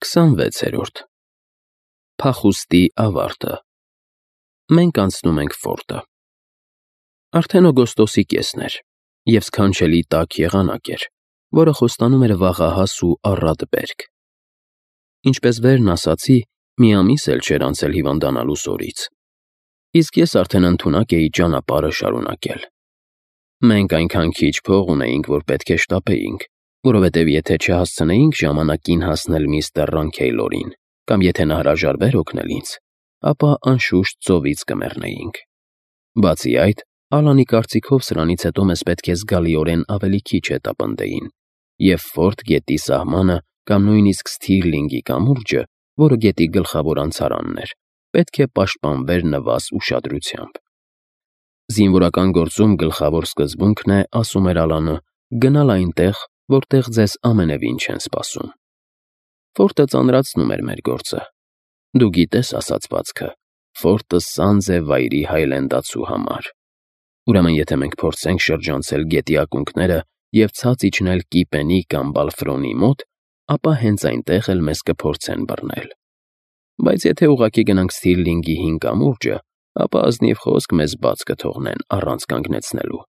26-րդ Փախուստի ավարտը Մենք անցնում ենք ֆորտը։ Արդեն օգոստոսի կեսն էր, և սքանչելի տաք եղանակ էր, որը խոստանում էր վաղահաս ու առատ բերք։ Ինչպես վերն ասացի, մի ամիս էլ չէր անցել հիվանդանալուս օրից, իսկ ես արդեն ընդունակ էի ճանապարհը շարունակել։ Մենք այնքան քիչ փող ունեինք, որ պետք է շտապեինք, որովհետև եթե չհասցնեինք ժամանակին հասնել միստր Ռանքեյլորին, կամ եթե նա հրաժարվեր օգնել ինձ, ապա անշուշտ ծովից կմեռնեինք։ Բացի այդ, Ալանի կարծիքով սրանից հետո մեզ պետք է զգալիորեն ավելի քիչ հետապնդեին, և Ֆորտ գետի սահմանը կամ նույնիսկ Սթիրլինգի կամուրջը, որը գետի գլխավոր անցարանն էր, պետք է պաշտպանվեր նվազ ուշադրությամբ։ Զինվորական գործում գլխավոր սկզբունքն է, ասում էր Ալանը, գնալ այնտեղ, որտեղ ձեզ ամենևին չեն սպասում։ Ֆորտը ծանրացնում էր մեր գործը։ Դու գիտես ասացվածքը. Ֆորտը սանձ է վայրի հայլենդացու համար։ Ուրեմն եթե մենք փորձենք շրջանցել գետի ակունքները և ցած իջնել Կիպենի կամ Բալֆրոնի մոտ, ապա հենց այնտեղ էլ մեզ կփորձեն բռնել։ Բայց եթե ուղղակի գնանք Սթիրլինգի հին կամուրջը, ապա ազնիվ խոսք մեզ բաց կթողնեն առանց կանգնեցնելու։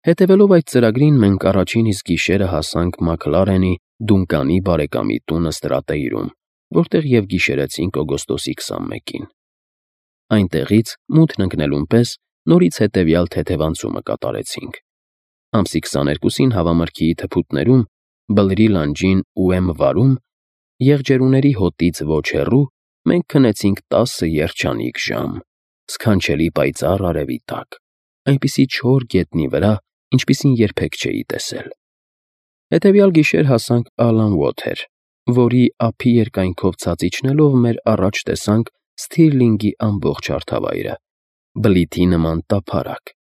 Հետևելով այդ ծրագրին, մենք առաջին իսկ գիշերը հասանք Մաքլարենի Դունկանի բարեկամի տունը Ստրատեյրում, որտեղ և գիշերեցինք օգոստոսի 21-ին։ Այնտեղից, մութն ընկնելուն պես, նորից հետևյալ թեթևանցումը կատարեցինք։ Ամսի 22-ին հավամրգիի թփուտներում, Բլրի լանջին ու Վարում, եղջերուների հոտից ոչ հեռու, մենք քնեցինք 10 երջանիկ ժամ, սքանչելի պայծառ արևի տակ, այնպիսի չոր գետնի վրա, ինչպիսին երբեք չէի տեսել։ Հետևյալ գիշեր հասանք Ալան Ուոթեր, որի ափի երկայնքով ցած իջնելով մեր առաջ տեսանք Սթիրլինգի ամբողջ հարթավայրը, բլիթի նման տափարակ։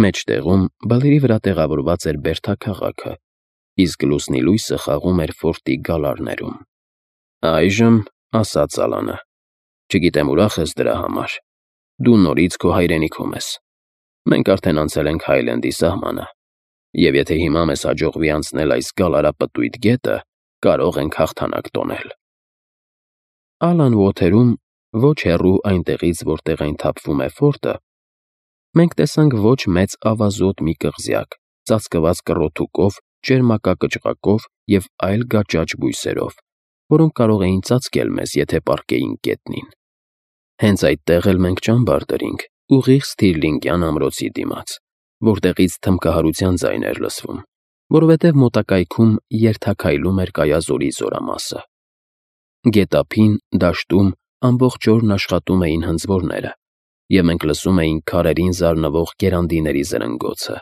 Մեջտեղում Բլրի վրա տեղավորված էր բերդաքաղաքը, իսկ լուսնի լույսը խաղում էր ֆորտի գալարներում։ Այժմ, ասաց Ալանը, չգիտեմ ուրախ ես դրա համար, դու նորից քո հայրենիքում ես։ Մենք արդեն անցել ենք Հայլենդի սահմանը, և եթե հիմա մեզ հաջողվի անցնել այս գալարապտույտ գետը, կարող ենք հաղթանակ տոնել։ Ալան Ուոթերում, ոչ հեռու այնտեղից, որտեղ այն թափվում է ֆորտը, մենք տեսանք ոչ մեծ ավազոտ մի կղզյակ, ծածկված կռոթուկով, ճերմակակճռակով և այլ գաճաճ բույսերով, որոնք կարող էին ծածկել մեզ, եթե պառկեինք գետնին։ Հենց այդտեղ էլ մենք ճամբար դրինք, ուղիղ Սթիրլինգյան ամրոցի դիմաց, որտեղից թմբկահարության ձայն էր լսվում, որովհետև մոտակայքում երթաքայլում էր Կայազորի զորամասը։ Գետափին, դաշտում ամբողջ օրն աշխատում էին հնձորները, և մենք լսում էինք քարերին զարնվող գերանդիների զրնգոցը,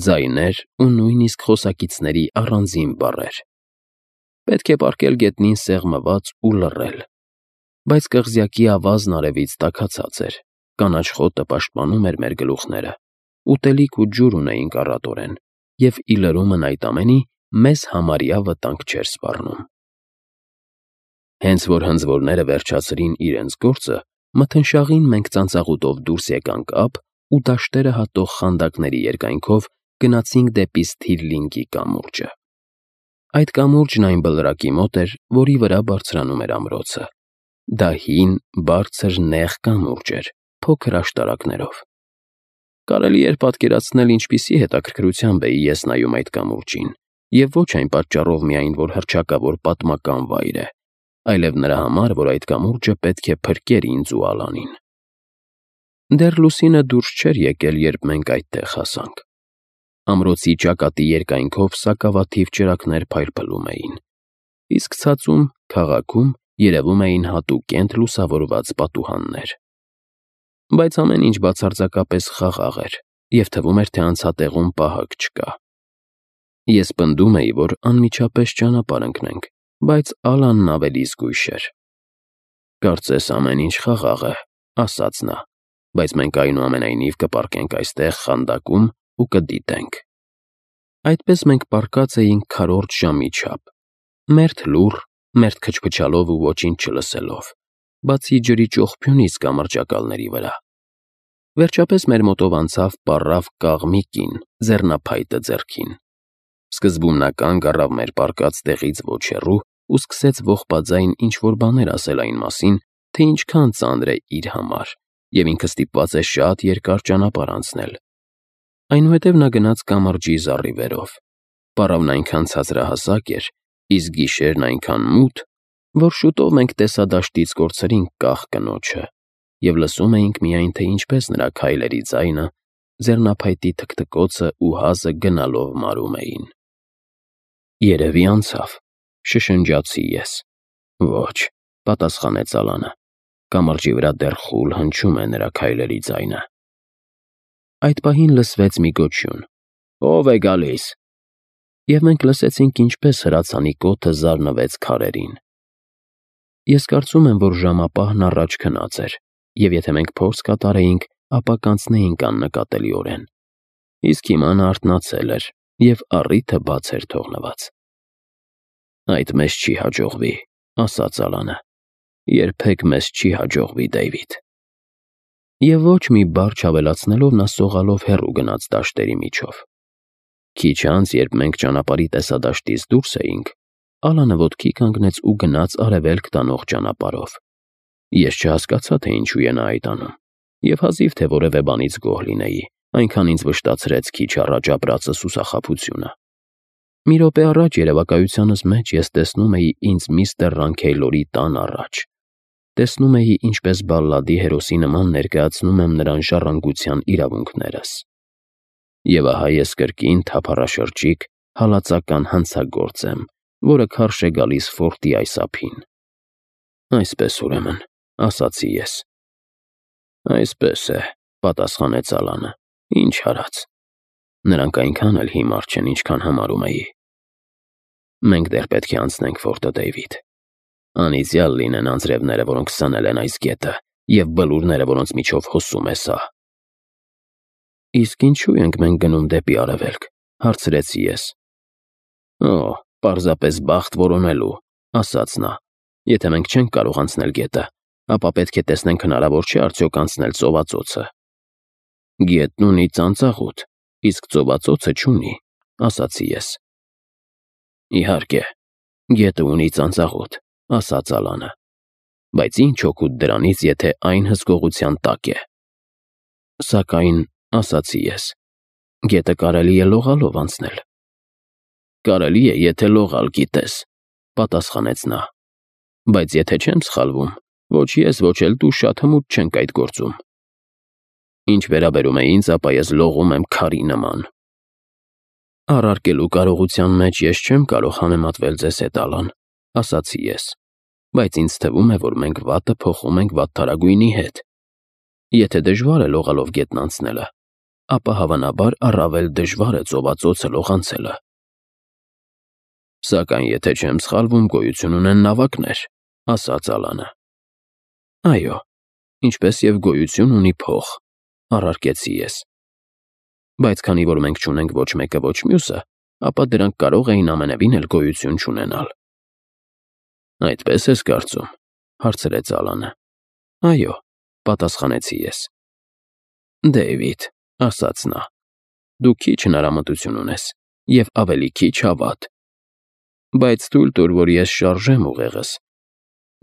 ձայներ ու նույնիսկ խոսակիցների առանձին բառեր։ Պետք է պառկել գետնին սեղմված ու լռել, բայց կղզյակի ավազն արևից տաքացած էր, կանաչ խոտը պաշտպանում էր մեր գլուխները, ուտելիք ու ջուր ունեինք առատորեն, և ի լրումն այդ ամենի մեզ համարյա վտանգ չէր սպառնում։ Հենց որ հնձորները վերջացրին իրենց գործը, մթնշաղին մենք ծանծաղուտով դուրս եկանք ափ ու դաշտերը հատող խանդակների երկայնքով գնացինք դեպի Սթիրլինգի կամուրջը։ Այդ կամուրջն այն բլրակի մոտ էր, որի վրա բարձրանում էր ամրոցը։ Դա հին, բարձր, նեղ կամուրջ էր, փոքր աշտարակներով։ Կարելի էր պատկերացնել, ինչպիսի հետաքրքրությամբ էի ես նայում այդ կամուրջին, և ոչ այն պատճառով միայն, որ հռչակավոր պատմական վայր է, այլև նրա համար, որ այդ կամուրջը պետք է փրկեր ինձ ու Ալանին։ Դեռ լուսինը դուրս չէր եկել, երբ մենք այդտեղ հասանք։ Ամրոցի ճակատի երկայնքով սակավաթիվ ճրագներ փայլփլում էին, իսկ ցածում, քաղաքում, երևում էին հատուկենտ լուսավորված պատուհաններ։ Բայց ամեն ինչ բացարձակապես խաղաղ էր, և թվում էր, թե անցատեղում պահակ չկա։ Ես պնդում էի, որ անմիջապես ճանապարհ ընկնենք, բայց Ալանն ավելի զգույշ էր։ Կարծես ամեն ինչ խաղաղ է, ասաց նա, բայց մենք այնուամենայնիվ կպառկենք այստեղ խանդակում ու կդիտենք։ Այդպես մենք պառկած էինք քառորդ ժամի չափ, մերթ լուռ, մերթ քչփչալով ու ոչինչ չլսելով, բացի ջրի ճոխփյունից կամրջակալների վրա։ Վերջապես մեր մոտով անցավ պառավ կաղ մի կին, ձեռնափայտը ձեռքին։ Սկզբում նա կանգ առավ մեր պառկած տեղից ոչ հեռու ու սկսեց ողբաձայն ինչ-որ բաներ ասել այն մասին, թե ինչքան ծանր է իր համար, և ինքը ստիպված է շատ երկար ճանապարհ անցնել։ Այնուհետև նա գնաց կամրջի զառիվերով։ Պարավն այնքան ցածրահասակ էր, իսկ գիշերն այնքան մութ, որ շուտով մենք տեսադաշտից կորցրինք կախ կնոջը և լսում էինք միայն, թե ինչպես նրա քայլերի ձայնը, ձեռնափայտի թքթքոցն ու հազը գնալով մարում էին։ «Երևի անցավ», շշնջացի ես։ «Ոչ», պատասխանեց Ալանը, կամրջի վրա դեռ խուլ հնչում է նրա քայլերի ձայնը։ Այդ պահին լսվեց մի գոչյուն. «Ո՞վ է գալիս»։ Եվ մենք լսեցինք, ինչպես հրացանի կոթը զարնվեց քարերին։ Ես կարծում եմ, որ ժամապահն առաջ քնած էր, և եթե մենք փորձ կատարեինք, ապա կանցնեինք աննկատելիորեն։ Իսկ հիմա նա արթնացել էր, և առիթը բաց էր թողնված։ «Այդ մեզ չի հաջողվի», ասաց Ալանը։ «Երբեք մեզ չի հաջողվի, Դեյվիդ»։ Եվ ոչ մի բառ չավելացնելով նա սողալով հեռու գնաց դաշտերի միջով։ Քիչ անց, երբ մենք ճանապարհի տեսադաշտից դուրս էինք, Ալանը ոտքի կանգնեց ու գնաց արևելք տանող ճանապարհով։ Ես չհասկացա, թե ինչու է նա այդ անում, և հազիվ թե որևէ բանից գոհ լինեի, այնքան ինձ վշտացրեց քիչ առաջ ապրածը սուսախաբությունը։ Մի րոպե առաջ երևակայությանս մեջ ես տեսնում էի ինձ միստր Ռանքեյլորի տան առաջ։ Տեսնում էի, ինչպես բալլադի հերոսի նման ներկայացնում եմ նրան ժառանգության իրավունքներս։ Եվ ահա ես կրկին թափառաշրջիկ, հալածական հանցագործ եմ, որը քարշ է գալիս ֆորտի այս ափին։ «Այսպես, ուրեմն», ասացի ես։ «Այսպես է», պատասխանեց Ալանը։ «Ինչ արած։ Նրանք այնքան էլ հիմար չեն, ինչքան համարում էի։ Մենք դեռ պետք է անցնենք ֆորտը, Դեյվիդ։ Անիծյալ լինեն անձրևները, որոնք սնել են այս գետը, և բլուրները, որոնց միջով հոսում է սա»։ «Իսկ ինչու ենք մենք գնում դեպի արևելք», հարցրեցի ես։ «Օ, պարզապես բախտ որոնելու», ասաց նա։ «Եթե մենք չենք կարող անցնել գետը, ապա պետք է տեսնենք հնարավոր չէ արդյոք անցնել ծովածոցը»։ «Գետն ունի ծանծաղուտ, իսկ ծովածոցը չունի», ասացի ես։ «Իհարկե, գետը ունի ծանծաղուտ», ասաց Ալանը, «բայց ինչ օգուտ դրանից, եթե այն հսկողության տակ է»։ «Սակայն», ասացի ես, «գետը կարելի է լողալով անցնել»։ «Կարելի է, եթե լողալ գիտես», պատասխանեց նա, «բայց եթե չեմ սխալվում, ոչ ես, ոչ էլ դու շատ հմուտ չենք այդ գործում։ Ինչ վերաբերում է ինձ, ապա ես լողում եմ քարի նման»։ «Առարկելու կարողության մեջ ես չեմ կարող համեմատվել ձեզ հետ, Ալան», ասացի ես, «բայց ինձ թվում է, որ մենք վատը փոխում ենք վատթարագույնի հետ։ Եթե դժվար է լողալով գետն անցնելը, ապա հավանաբար առավել դժվար է ծովածոցը լողանցելը»։ «Սակայն եթե չեմ սխալվում, գոյություն ունեն նավակներ», ասաց Ալանը։ «Այո, ինչպես և գոյություն ունի փող», առարկեցի ես։ «Բայց քանի որ մենք չունենք ոչ մեկը, ոչ մյուսը, ապա դրանք կարող էին ամենևին էլ գոյություն չունենալ»։ «Այդպես ես կարծում», հարցրեց Ալանը։ «Այո», պատասխանեցի ես։ «Դեյվիդ», ասաց նա, «դու քիչ հնարամտություն ունես և ավելի քիչ հավատ։ Բայց թույլ տուր, որ ես շարժեմ ուղեղս,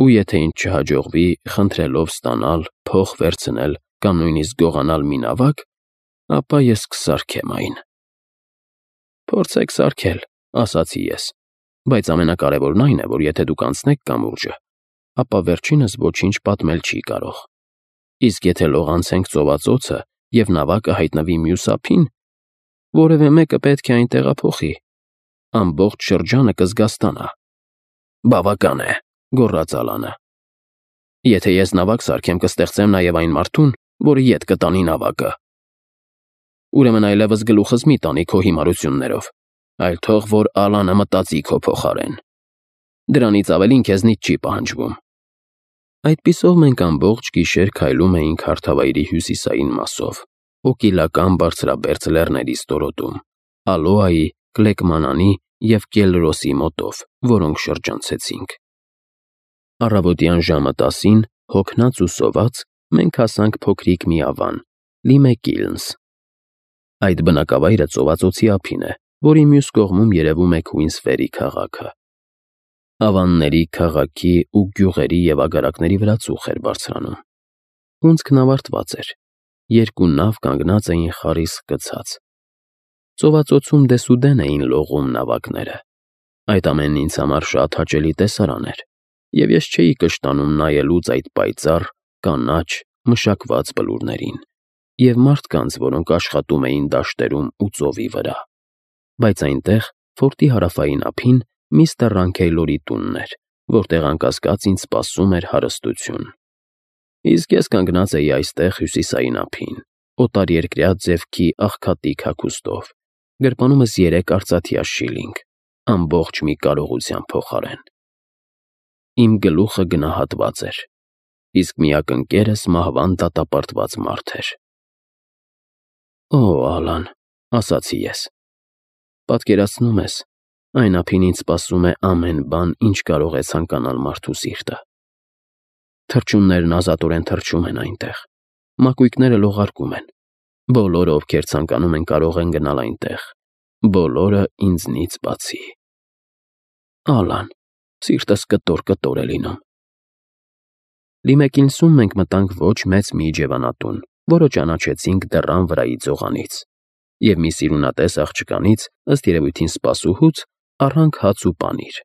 ու եթե ինձ չհաջողվի խնդրելով ստանալ, փող վերցնել կամ նույնիսկ գողանալ մի նավակ, ապա ես կսարքեմ այն»։ «Փորձեք սարքել», ասացի ես, «բայց ամենակարևորն այն է, որ եթե դուք անցնեք կամուրջը, ապա վերջինս ոչինչ պատմել չի կարող։ Իսկ եթե լողանցենք ծովածոցը և նավակը հայտնվի մյուս ափին, որևէ մեկը պետք է այն տեղափոխի։ Ամբողջ շրջանը կզգաստանա»։ «Բավական է», գոռաց Ալանը։ «Եթե ես նավակ սարքեմ, կստեղծեմ նաև այն մարդուն, որը ետ կտանի նավակը։ Ուրեմն այլևս գլուխս մի տանի քո հիմարություններով, այլ թող որ Ալանը մտածի քո փոխարեն։ Դրանից ավելին քեզնից չի պահանջվում»։ Այդպիսով մենք ամբողջ գիշեր քայլում էինք հարթավայրի հյուսիսային մասով, Օկիլական բարձրաբերձ լեռների ստորոտում, Ալոայի, Կլեկմանանի և Կելրոսի մոտով, որոնք շրջանցեցինք։ Առավոտյան ժամը 10-ին, հոգնած ու սոված, մենք հասանք փոքրիկ մի ավան՝ Լիմեկիլնս։ Այդ բնակավայրը ծովածոցի ափին է, որի մյուս կողմում երևում է Քուինսֆերի քաղաքը։ Ավանների, քաղաքի ու գյուղերի և ագարակների վրա ծուխ էր բարձրանում։ Հունձքն ավարտված էր, երկու նավ կանգնած էին խարիսկ գցած։ Ծովածոցում դեսուդեն էին լողում նավակները։ Այդ ամենն ինձ համար շատ հաճելի տեսարան էր, և ես չէի կշտանում նայելուց այդ պայծառ, կանաչ, մշակված բլուրներին և մարդկանց, որոնք աշխատում էին դաշտերում ու ծովի վրա։ Բայց այնտեղ, ֆորտի հարավային ափին, միստր Ռանքեյլորի տունն էր, որտեղ անկասկած ինձ սպասում էր հարստություն։ Իսկ ես կանգնած էի այստեղ հյուսիսային ափին, օտարերկրյա ձևքի աղքատիկ հագուստով, գրպանումս 3 արծաթյա շիլինգ, ամբողջ մի կարողության փոխարեն։ Իմ գլուխը գնահատված էր, իսկ միակ ընկերս մահվան դատապարտված մարդ էր։ «Օ, Ալան», ասացի ես, պատկերացնու՞մ ես, այն ափին ինձ սպասում է ամեն բան, ինչ կարող է ցանկանալ մարդու սիրտը։ Թռչուններն ազատորեն թռչում են այնտեղ, մակույկները լողարկում են, բոլորը, ովքեր ցանկանում են, կարող են գնալ այնտեղ, բոլորը ինձնից բացի։ Ալան, սիրտս կտոր-կտոր է լինում։ Լիմեկինսում մենք մտանք ոչ մեծ մի իջևանատուն, որը ճանաչեցինք դռան վրայի ձողանից, և մի սիրունատես աղջկանից, ըստ երևույթին սպասուհուց, առանք հաց ու պանիր։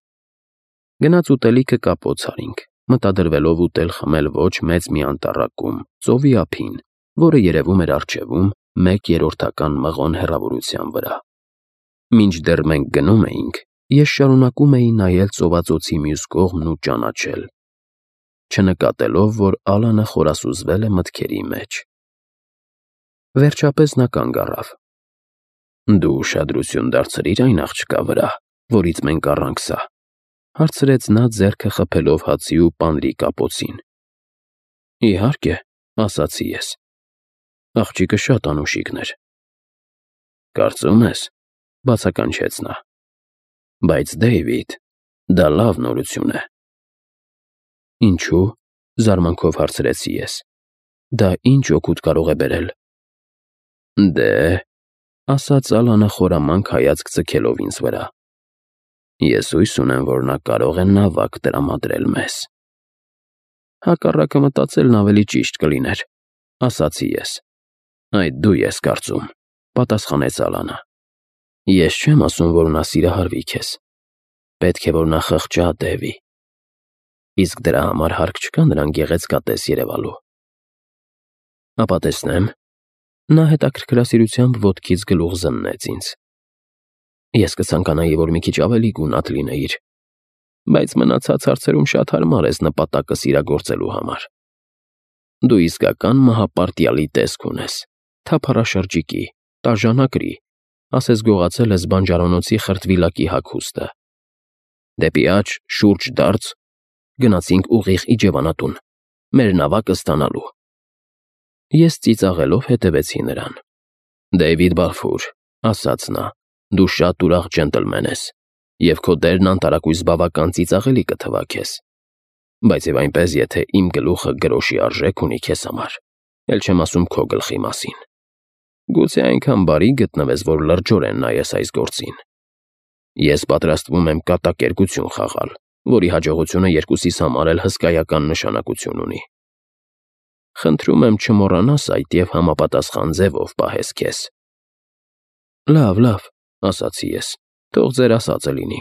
Գնաց ուտելիքը կապոց արինք, մտադրվելով ուտել-խմել ոչ մեծ մի անտառակում, ծովի ափին, որը երևում էր առջևում 1/3 մղոն հեռավորության վրա։ Մինչդեռ մենք գնում էինք, ես շարունակում էի նայել ծովածոցի մյուս կողմն ու ճանաչել, չնկատելով, որ Ալանը խորասուզվել է մտքերի մեջ։ Վերջապես նա կանգ առավ։ «Դու ուշադրություն դարձրի՞ր այն աղջկա վրա, որից մենք առանք սա», հարցրեց նա, ձեռքը խփելով հացի ու պանրի կապոցին։ «Իհարկե», ասացի ես։ Աղջիկը շատ անուշիկն էր։ «Կարծում ես», բացականչեց նա։ «Բայց, Դեյվիդ, դա լավ նորություն է»։ «Ինչու՞, զարմանքով հարցրեցի ես։ Դա ինչ օգուտ կարող է բերել։ Դե, ասաց Ալանը խորամանկ հայացք ձգելով ինձ վրա, ես հույս ունեմ, որ նա կարող է նավակ տրամադրել մեզ։ Հակառակը մտածելն ավելի ճիշտ կլիներ, ասացի ես։ Այդ դու ես կարծում, պատասխանեց Ալանը։ Ես չեմ ասում, որ նա սիրահարվի քեզ։ Պետք է, որ նա խղճա, Դևի։ Իսկ դրա համար հարկ չկա նրան գեղեցկատես երևալու։ Ապա տեսնեմ։ Նա հետաքրքրասիրությամբ ոտքից գլուխ զննեց ինձ։ Ես կցանկանայի, որ մի քիչ ավելի գունատ լինեիր, բայց մնացած հարցերում շատ հարմար ես նպատակս իրագործելու համար։ Դու իսկական մահապարտյալի տեսք ունես, թափառաշրջիկի, տաժանակրի, ասես գողացել ես բանջարոնոցի խրտվիլակի հագուստը։ Դեպի աջ, շուրջ դարձ, գնացինք ուղիղ իջևանատուն, մեր նավակը ստանալու։ Ես ծիծաղելով հետևեցի նրան։ Դեյվիդ Բալֆուր, ասաց նա, դու շատ ուրախ ջենտլմեն ես, և քո դերն անտարակույս բավական ծիծաղելի կթվա քեզ։ Բայց և այնպես, եթե իմ գլուխը գրոշի արժեք ունի քեզ համար, էլ չեմ ասում քո գլխի մասին։ Գուցե այնքան բարի գտնվես, որ լրջորեն նայես այս գործին։ Ես պատրաստվում եմ կատակերգություն խաղալ, որի հաջողությունը երկուսիս համար էլ հսկայական նշանակություն ունի։ Խնդրում եմ չմոռանաս այդ և համապատասխան ձևով պահես քեզ։ Լավ, ասացի ես, թող ձեր ասածը լինի։